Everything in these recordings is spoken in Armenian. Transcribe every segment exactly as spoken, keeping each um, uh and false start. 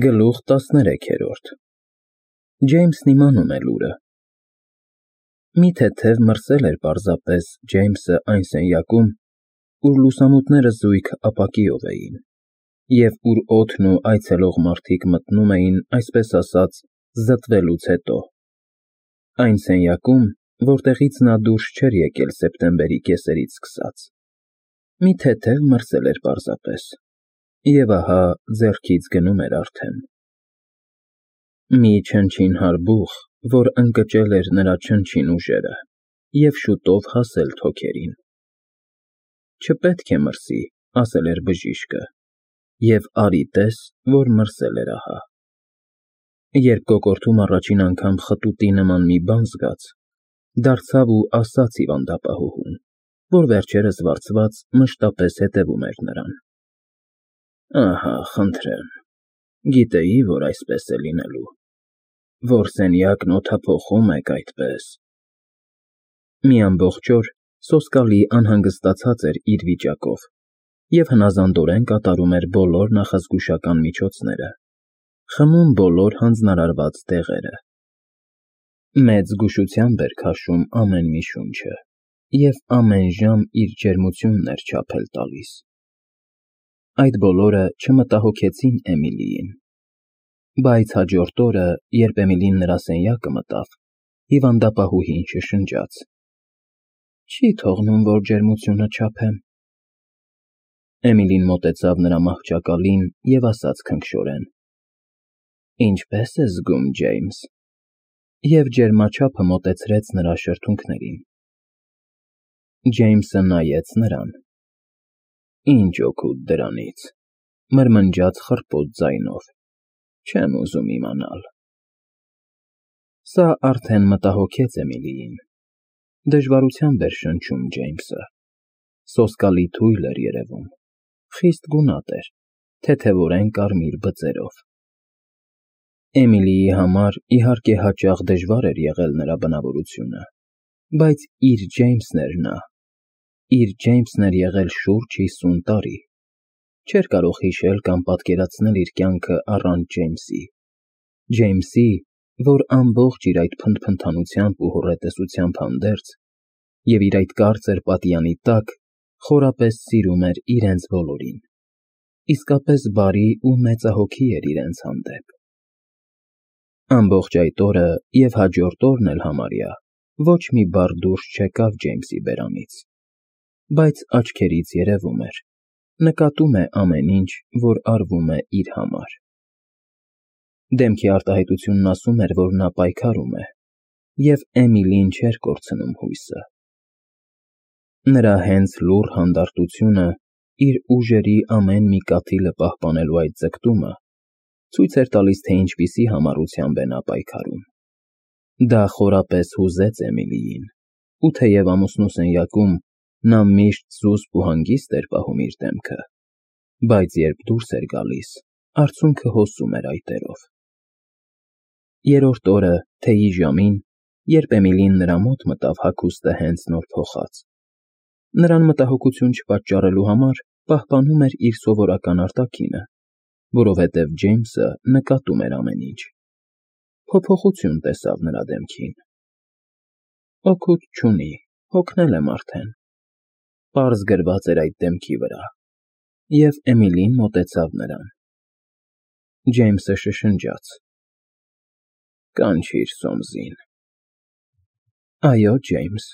Գլուխ տասներեքերորդ Ջեյմսն իմանում է լուրը։ Մի թեթև մրսել էր պարզապես Ջեյմսը այն սենյակում, ուր լուսամուտները զույգ ապակիով էին, և ուր օդն ու այցելող մարդիկ մտնում էին, այսպես ասած, զտվելուց հետո, այն սենյակում, որտեղից նա դուրս չէր եկել սեպտեմբերի կեսերից սկսած, մի թեթև մրսել էր պարզապես, և ահա ձեռքից գնում էր արդեն։ Մի չնչին հարբուխ, որ ընկճել էր նրա չնչին ուժերը և շուտով հասել թոքերին։ Չպետք է մրսի, ասել էր բժիշկը, և արի տես, որ մրսել էր ահա։ Երբ կոկորդում առաջին անգամ խտուտի նման մի բան զգաց, դարձավ ու ասաց հիվանդապահուհուն, որ վերջերս վարձված մշտապես հետևում էր նրան. Ահա, խնդրեմ, գիտեի, որ այսպես է լինելու, որ սենյակն օդափոխում եք այդպես։ Մի ամբողջ օր սոսկալի անհանգստացած էր իր վիճակով և հնազանդորեն կատարում էր բոլոր նախազգուշական միջոցները, խմում բոլոր հանձնարարված դեղերը։ Մեծ զգուշությամբ էր քաշում ամեն մի շունչը և ամեն ժամ իր ջերմությունն էր չափել տալիս։ Այդ բոլորը չմտահոգեցին Էմիլիին, բայց հաջորդ օրը, երբ Էմիլին նրա սենյակը մտավ, հիվանդապահուհին շշնջաց. Չի թողնում, որ ջերմությունը չափեմ։ Էմիլին մոտեցավ նրա մահճակալին և ասաց քնքշորեն. Ինչպե՞ս ես զգում, Ջեյմս, և ջերմաչափը մոտեցրեց նրա շրթունքներին։ Ջեյմսը նայեց նրան։ Ինչ օգուտ դրանից, մրմնջաց խռպոտ ձայնով, չեմ ուզում իմանալ։ Սա արդեն մտահոգեց Էմիլիին։ Դժվարությամբ էր շնչում Ջեյմսը, սոսկալի թույլ էր երևում, խիստ գունատ էր, թեթևորեն կարմիր բծերով։ Էմիլիի համար, իհարկե, հաճախ դժվար էր եղել նրա բնավորությունը, բայց իր Ջեյմսն էր նա, իր Ջեյմսն էր եղել շուրջ հիսուն տարի, չէր կարող հիշել կամ պատկերացնել իր կյանքը առանց Ջեյմսի, Ջեյմսի, որ ամբողջ իր այդ փնթփնթանությամբ ու հոռետեսությամբ հանդերձ, և իր այդ կարծր պատյանի տակ, խորապես սիրում էր իրենց բոլորին, իսկապես բարի ու մեծահոգի էր իրենց հանդեպ։ Ամբողջ այդ օրը և հաջորդ օրն էլ համարյա ոչ մի բառ դուրս չեկավ Ջեյմսի բերանից, բայց աչքերից երևում էր, նկատում է ամեն ինչ, որ արվում է իր համար։ Դեմքի արտահայտությունն ասում էր, որ նա պայքարում է, և Էմիլին չէր կորցնում հույսը։ Նրա հենց լուռ հանդարտությունը, իր ուժերի ամեն մի կաթիլը պահպանելու այդ ձգտումը ցույց էր տալիս, թե ինչպիսի համառությամբ է նա պայքարում։ Դա խորապես հուզեց Էմիլիին, ու թեև ամուսնու սենյակում նա միշտ զուսպ ու հանգիստ էր պահում իր դեմքը, բայց երբ դուրս էր գալիս, արցունքը հոսում էր այտերով։ Երրորդ օրը, թեյի ժամին, երբ Էմիլին նրա մոտ մտավ հագուստը հենց նոր փոխած, նրան մտահոգություն չպատճառելու համար պահպանում էր իր սովորական արտաքինը, որովհետև Ջեյմսը նկատում էր ամեն ինչ։ Փոփոխություն տեսավ նրա դեմքին։ Օգուտ չունի, հոգնել եմ արդեն, պարզ գրված էր այդ դեմքի վրա, և Էմիլին մոտեցավ նրան։ Ջեյմսը շշնջաց. Կանչիր Սոմսին։ Այո, Ջեյմս,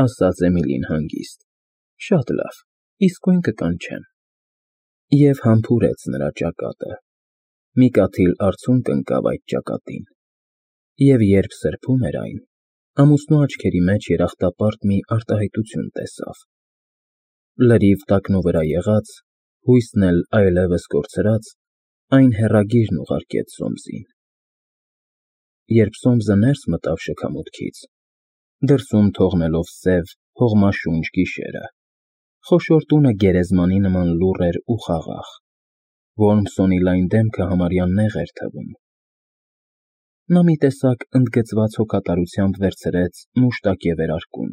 ասաց Էմիլին հանգիստ, շատ լավ, իսկույն կկանչեմ։ Եվ համբուրեց նրա ճակատը։ Մի կաթիլ արցունք ընկավ այդ ճակատին, և երբ սրբում էր այն, ամուսնու աչքերի մեջ երախտապարտ մի արտահայտություն տեսավ։ Լրիվ տակնու վրա եղած, հույսն էլ այլևս կորցրած, այն հեռագիրն ուղարկեց Սոմսին։ Երբ Սոմսը ներս մտավ շքամուտքից, դրսում թողնելով սև, հողմաշունչ գիշերը, խոշոր տունը գերեզմանի նման լուռ էր ու խաղաղ, Ոռմսոնի լայն դեմքը համարյա նեղ էր թվում։ Նա մի տեսակ ընդգծված հոգատարությամբ վերցրեց մուշտակե վերարկուն,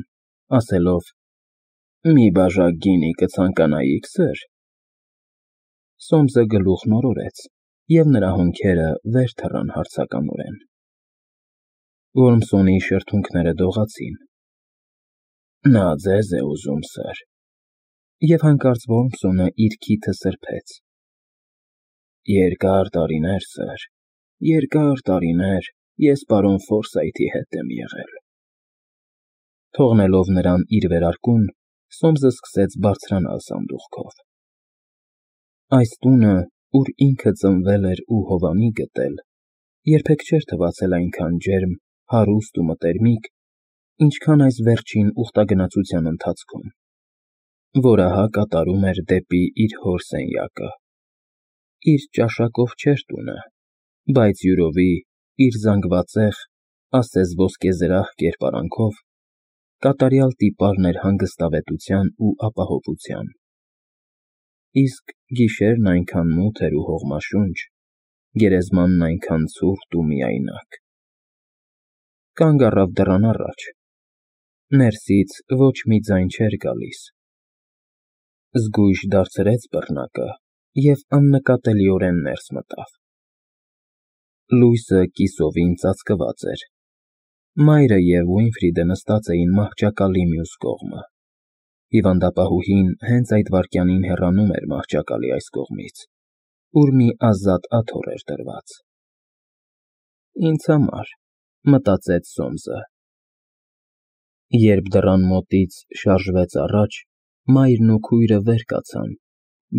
ասելով. Մի բաժակ գինի կցանկանայի՞ք, սըր։ Սոմսը գլուխն օրորեց, և նրա հոնքերը վեր թռան հարցականորեն։ Որմսոնի շրթունքները դողացին։ Նա ձեզ է ուզում, սըր։ Եվ հանկարծ Որմսոնը իր քիթը սրբեց։ Երկար տարիներ, սըր, երկար տարիներ ես պարոն Ֆորսայթի հետ եմ եղել։ Թողնելով նրան իր վերարկուն, Սոմսը սկսեց բարձրանալ սանդուղքով։ Այս տունը, ուր ինքը ծնվել էր ու հովանի գտել, երբեք չէր թվացել այնքան ջերմ, հարուստ ու մտերմիկ, ինչքան այս վերջին ուխտագնացության ընթացքում, որ ահա կատարում էր դեպի իր հոր սենյակը։ Իր ճաշակով չէր տունը, բայց յուրովի իր զանգվածեղ, ասես ոսկեզրահ կերպարանքով, կատարյալ տիպարն էր հանգստավետության ու ապահովության։ Իսկ գիշերն այնքան մութ էր ու հողմաշունչ, գերեզմանն այնքան ցուրտ ու միայնակ։ Կանգ առավ դռան առաջ։ Ներսից ոչ մի ձայն չէր գալիս։ Զգույշ դարձրեց բռնակը և աննկատելիորեն ներս մտավ։ Լույսը կիսովին ծածկված էր։ Մայրը և Ուինֆրիդը նստած էին մահճակալի մյուս կողմը։ Հիվանդապահուհին հենց այդ վայրկյանին հեռանում էր մահճակալի այս կողմից, ուր մի ազատ աթոռ էր դրված։ Ինձ համար, մտածեց Սոմսը։ Երբ դռան մոտից շարժվեց առաջ, մայրն ու քույրը վեր կացան,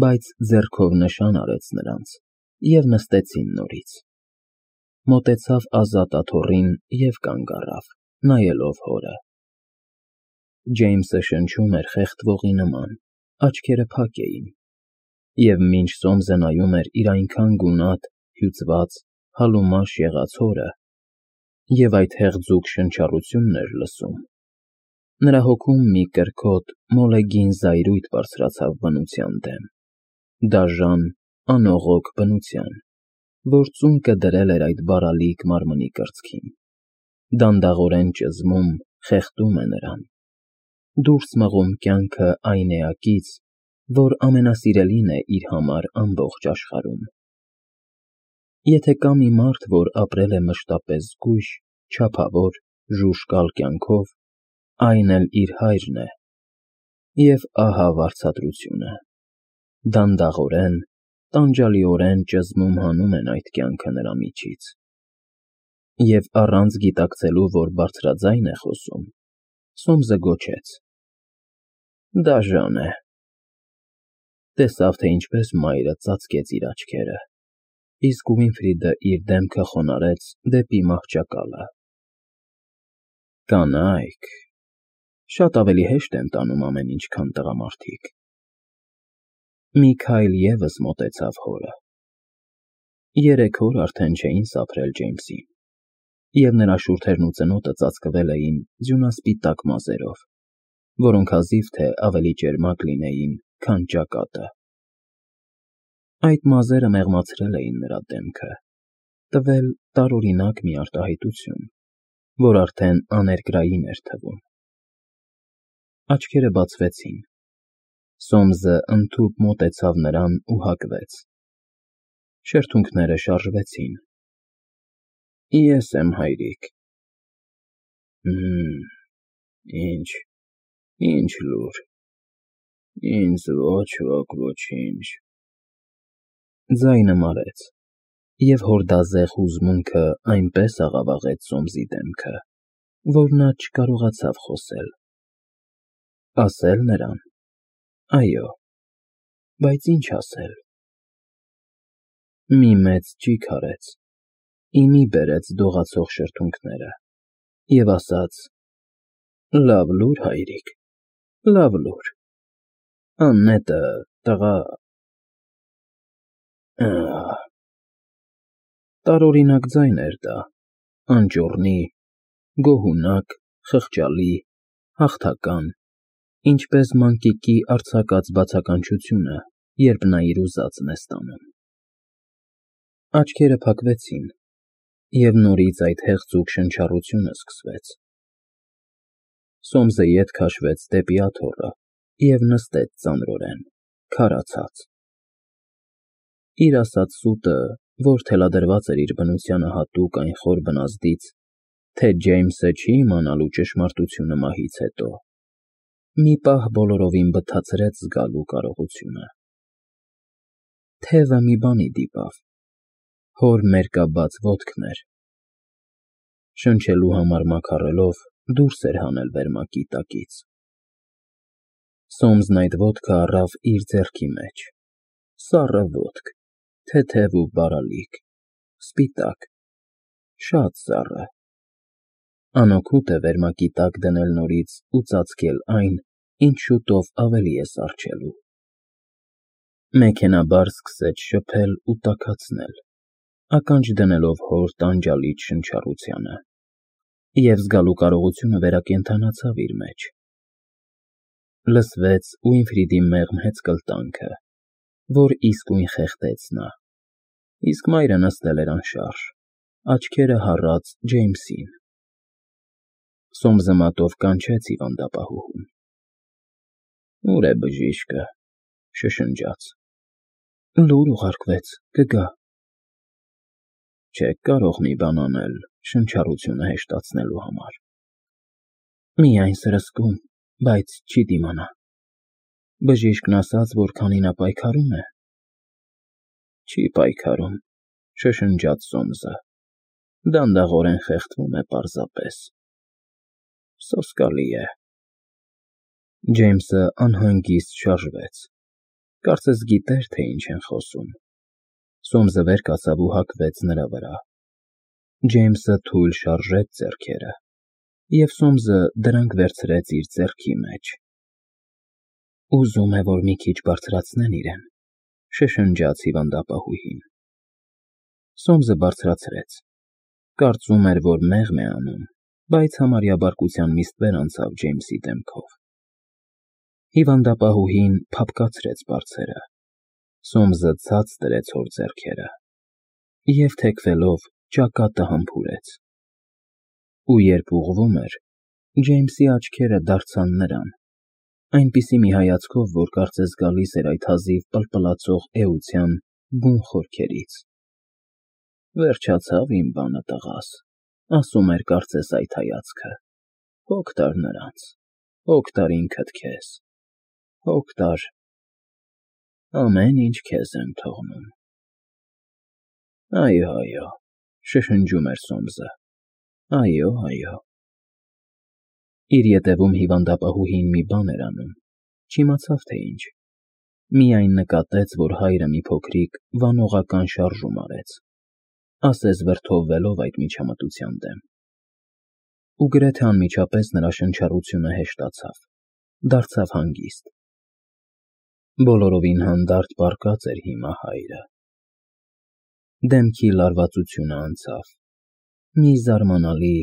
բայց ձեռքով նշան արեց նրանց, և նստեցին նորից։ Մոտեցավ ազատ աթոռին և կանգ առավ, նայելով հորը։ Ջեյմսը շնչում էր խեղդվողի նման, աչքերը փակ էին, և մինչ Սոմսը նայում էր իր այնքան գունատ, հյուծված, հալումաշ եղած հորը և այդ հեղձուկ շնչառությունն էր լսում, նրա հոգում մի կրքոտ, մոլեգին զայրույթ բարձրացավ բնության դեմ, դաժան, անողոք բնության, որ ծունկը դրել էր այդ բարալիկ մարմնի կրծքին, դանդաղորեն ճզմում, խեղդում է նրան, դուրս մղում կյանքը այն էակից, որ ամենասիրելին է իր համար ամբողջ աշխարհում։ Եթե կա մի մարդ, որ ապրել է մշտապես զգույշ, չափավոր, ժուժկալ կյանքով, այն էլ իր հայրն է։ Եվ ահա վարձատրությունը։ Դանդաղորեն, տանջալիորեն ճզմում հանում են այդ կյանքը նրա միջից։ Եվ առանց գիտակցելու, որ բարձրաձայն է խոսում, Սոմսը գոչեց. Դաժան է։ Տեսավ, թե ինչպես մայրը ծածկեց իր աչքերը, իսկ Ուինֆրիդը իր դեմքը խոնարհեց դեպի մահճակալը։ Կանայք շատ ավելի հեշտ են տանում ամեն ինչ, քան տղամարդիկ։ Մի քայլ ևս մոտեցավ հորը։ Երեք օր արդեն չէին սափրել Ջեյմսին, և նրա շուրթերն ու ծնոտը ծածկվել էին ձյունասպիտակ մազերով, որոնք հազիվ թե ավելի ճերմակ լինեին, քան ճակատը։ Այդ մազերը մեղմացրել էին նրա դեմքը, տվել տարօրինակ մի արտահայտություն, որ արդեն աներկրային էր թվում։ Աչքերը բացվեցին։ Սոմսը ընդհուպ մոտեցավ նրան ու հագվեց։ Շրթունքները շարժվեցին։ Ես եմ, հայրիկ։ Հըմ, ինչ, ինչ լուր։ Ինձ ոչ ոք ոչինչ։ Ձայնը մարեց, և հորդազեղ հուզմունքը այնպես աղավաղեց Սոմսի դեմքը, որ նա չկարողացավ խոսել։ Ասել նրան. այո, բայց ինչ ասել։ Մի մեծ ճիգ արեց, ի մի բերեց դողացող շրթունքները և ասաց. Լավ լուր, հայրիկ, լավ լուր, աննետը, տղա… Ահ… Տարօրինակ ձայն էր դա, անճոռնի, գոհունակ, խղճալի, հաղթական, ինչպես մանկիկի արձակած բացականչությունը, երբ նա իր ուզածն է ստանում։ Աչքերը փակվեցին, և նորից այդ հեղձուկ շնչառությունը սկսվեց։ Սոմսը ետ քաշվեց դեպի աթոռը և նստեց ծանրորեն, քարացած։ Իր ասած սուտը, որ թելադրված էր իր բնությանը հատուկ այն խոր բնազդից, թե Ջեյմսը չի իմանալու ճշմարտությունը մահից հետո, մի պահ բոլորովին բթացրեց զգալու կարողությունը։ Թևը մի բանի դիպավ, հոր մերկաբաց ոտքն էր։ Շնչելու համար մաքարելով դուրս էր հանել վերմակի տակից։ Սոմսն այդ ոտքը առավ իր ձեռքի մեջ, սառը ոտք, թեթև ու բարալիկ, սպիտակ, շատ սառը։ Անօգուտ է վերմակի տակ դնել նորից ու ծածկել այն, ինչ շուտով ավելի է սառչելու։ Մեքենայաբար սկսեց շփել ու տաքացնել, ականջ դնելով հոր տանջալից շնչառությանը, և զգալու կարողությունը վերակենդանացավ իր մեջ։ Լսվեց Ուինֆրիդի մեղմ հեծկլտանքը, որ իսկույն խեղդեց նա, իսկ մայրը նստել էր անշարժ, աչքերը հառած Ջեյմսին։ Սոմսը մատով կանչեց հիվանդապահուհուն։ Ո՞ւր է բժիշկը, շշնջաց։ Լուր ուղարկվեց, կգա։ Չեք կարող մի բան անել շնչառությունը հեշտացնելու համար։ Միայն սրսկում, բայց չի դիմանա։ Բժիշկն ասաց, որ քանի նա պայքարում է։ Չի պայքարում, շշնջաց Սոմսը, դանդաղորեն խեղդվում է պարզապես։ Սոսկալի է։ Ջեյմսը անհանգիստ շարժվեց, կարծես գիտեր, թե ինչ են խոսում։ Սոմսը վեր կացավ ու հագվեց նրա վրա։ Ջեյմսը թույլ շարժեց ձեռքերը, և Սոմսը դրանք վերցրեց իր ձեռքի մեջ։ Ուզում է, որ մի քիչ բարձրացնեն իրեն, շշնջաց հիվանդապահուհին։ Սոմսը բարձրացրեց, կարծում էր, որ մեղմ է անում, բայց համարյա բարկության միստվեր անցավ Ջեյմսի դեմքով։ Հիվանդապահուհին փափկացրեց բարձերը, Սոմսը ցած դրեց հոր ձեռքերը և թեքվելով ճակատը համբուրեց։ Ու երբ ուղղվում էր, Ջեյմսի աչքերը դարձան նրան, այնպիսի մի հայացքով, որ կարծես գալիս էր այդ հազիվ պլպլացող էության բուն խորքերից։ Վերջացավ իմ բանը, տղաս, ասում էր կարծես այդ հայացքը, հոգ տար նրանց, հոգ տար ինքդ քեզ, հոգ տար, ամեն ինչ քեզ եմ թողնում։ Այո, այո, շշնջում էր Սոմսը, այո, այո։ Իր ետևում հիվանդապահուհին մի բան էր անում, չիմացավ, թե ինչ, միայն նկատեց, որ հայրը մի փոքրիկ վանողական շարժում արեց, ասես վրդովվելով այդ միջամտության դեմ։ Ու գրեթե անմիջապես նրա շնչառությունը հեշտացավ, դարձավ հանգիստ։ Բոլորովին հանդարտ պառկած էր հիմա հայրը։ Դեմքի լարվածությունը անցավ, մի զարմանալի,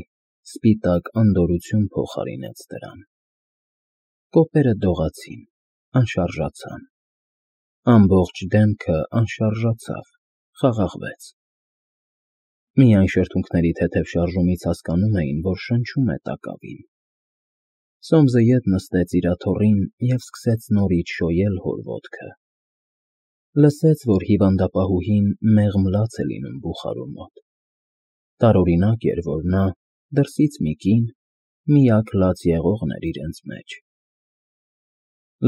սպիտակ անդորրություն փոխարինեց դրան։ Կոպերը դողացին, անշարժացան։ Ամբողջ դեմքը անշարժացավ, խաղաղվեց։ Միայն շրթունքների թեթև շարժումից հասկանում էին, որ շնչում է տակավին։ Սոմսը ետ նստեց իր աթոռին և սկսեց նորից շոյել հոր ոտքը։ Լսեց, որ հիվանդապահուհին մեղմ լաց է լինում բուխարու մոտ։ Տարօրինակ էր, որ նա, դրսից մի կին, միակ լաց եղողն էր իրենց մեջ։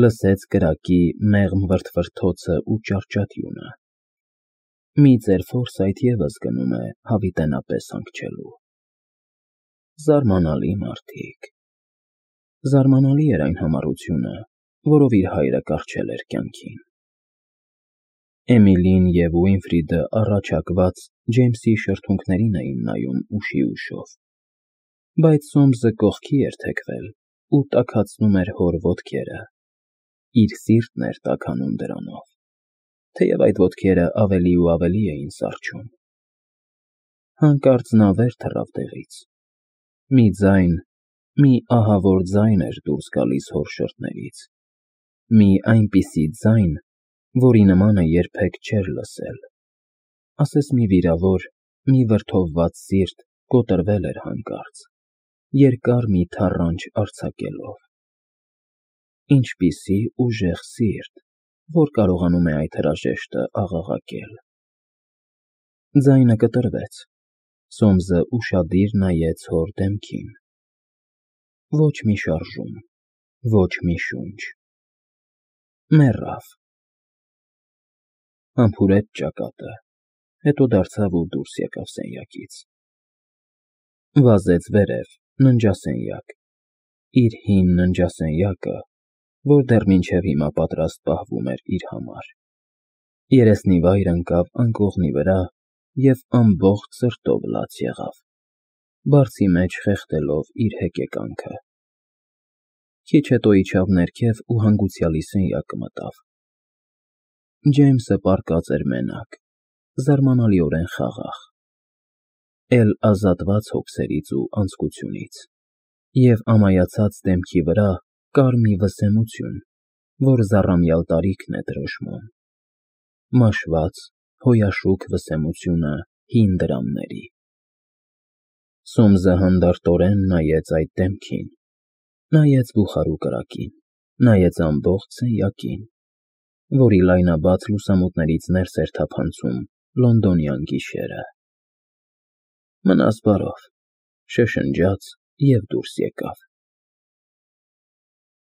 Լսեց կրակի մեղմ վրդվրթոցը ու ճարճատյունը։ Մի ծեր ֆորսայթ ևս գնում է հավիտենապես հանգչելու։ Զարմանալի մարդիկ։ Զարմանալի էր այն համառությունը, որով իր հայրը կառչել էր կյանքին։ Էմիլին և Ուինֆրիդը առաջհակված Ջեյմսի շրթունքներին էին նայում ուշի ուշով, բայց Սոմսը կողքի էր թեքվել ու տաքացնում էր հոր ոտքերը, իր սիրտն էր տաքանում դրանով, թեև այդ ոտքերը ավելի ու ավելի էին սառչում։ Հանկարծ նա վեր թռավ տեղից։ Մի ձայն, մի ահավոր ձայն էր դուրս գալիս հոր շրթներից, մի այնպիսի ձայն, որի նմանը երբեք չէր լսել, ասես մի վիրավոր, մի վրդովված սիրտ կոտրվել էր հանկարծ, երկար մի թառանչ արձակելով։ Ինչպիսի ուժեղ սիրտ, որ կարողանում է այդ հրաժեշտը աղաղակել։ Ձայնը կտրվեց։ Սոմսը ուշադիր նայեց հոր դեմքին։ Ոչ մի շարժում, ոչ մի շունչ։ Մեռավ։ Համբուրեց ճակատը, հետո դարձավ ու դուրս եկավ սենյակից։ Վազեց վերև, ննջասենյակ, իր հին ննջասենյակը, որ դեռ մինչև հիմա պատրաստ պահվում էր իր համար։ Երեսնիվայր ընկավ անկողնի վրա և ամբողջ սրտով լաց եղավ, բարձի մեջ խեղդելով իր հեկեկանքը։ Քիչ հետո իջավ ներքև ու հանգուցյալի սենյակը մտավ։ Ջեյմսը պառկած էր մենակ, զարմանալիորեն խաղաղ, էլ ազատված հոգսերից ու անձկությունից, և ամայացած դեմքի վրա կար մի վսեմություն, որ զառամյալ տարիքն է դրոշմում, մաշված, հոյաշուք վսեմությունը հին դրամների։ Սոմսը հանդարտորեն նայեց այդ դեմքին, նայեց բուխարու կրակին, նայեց ամբողջ սենյակին, որի լայնաբաց լուսամուտներից ներս էր թափանցում լոնդոնյան գիշերը։ Մնաս բարով, շշնջաց և դուրս եկավ։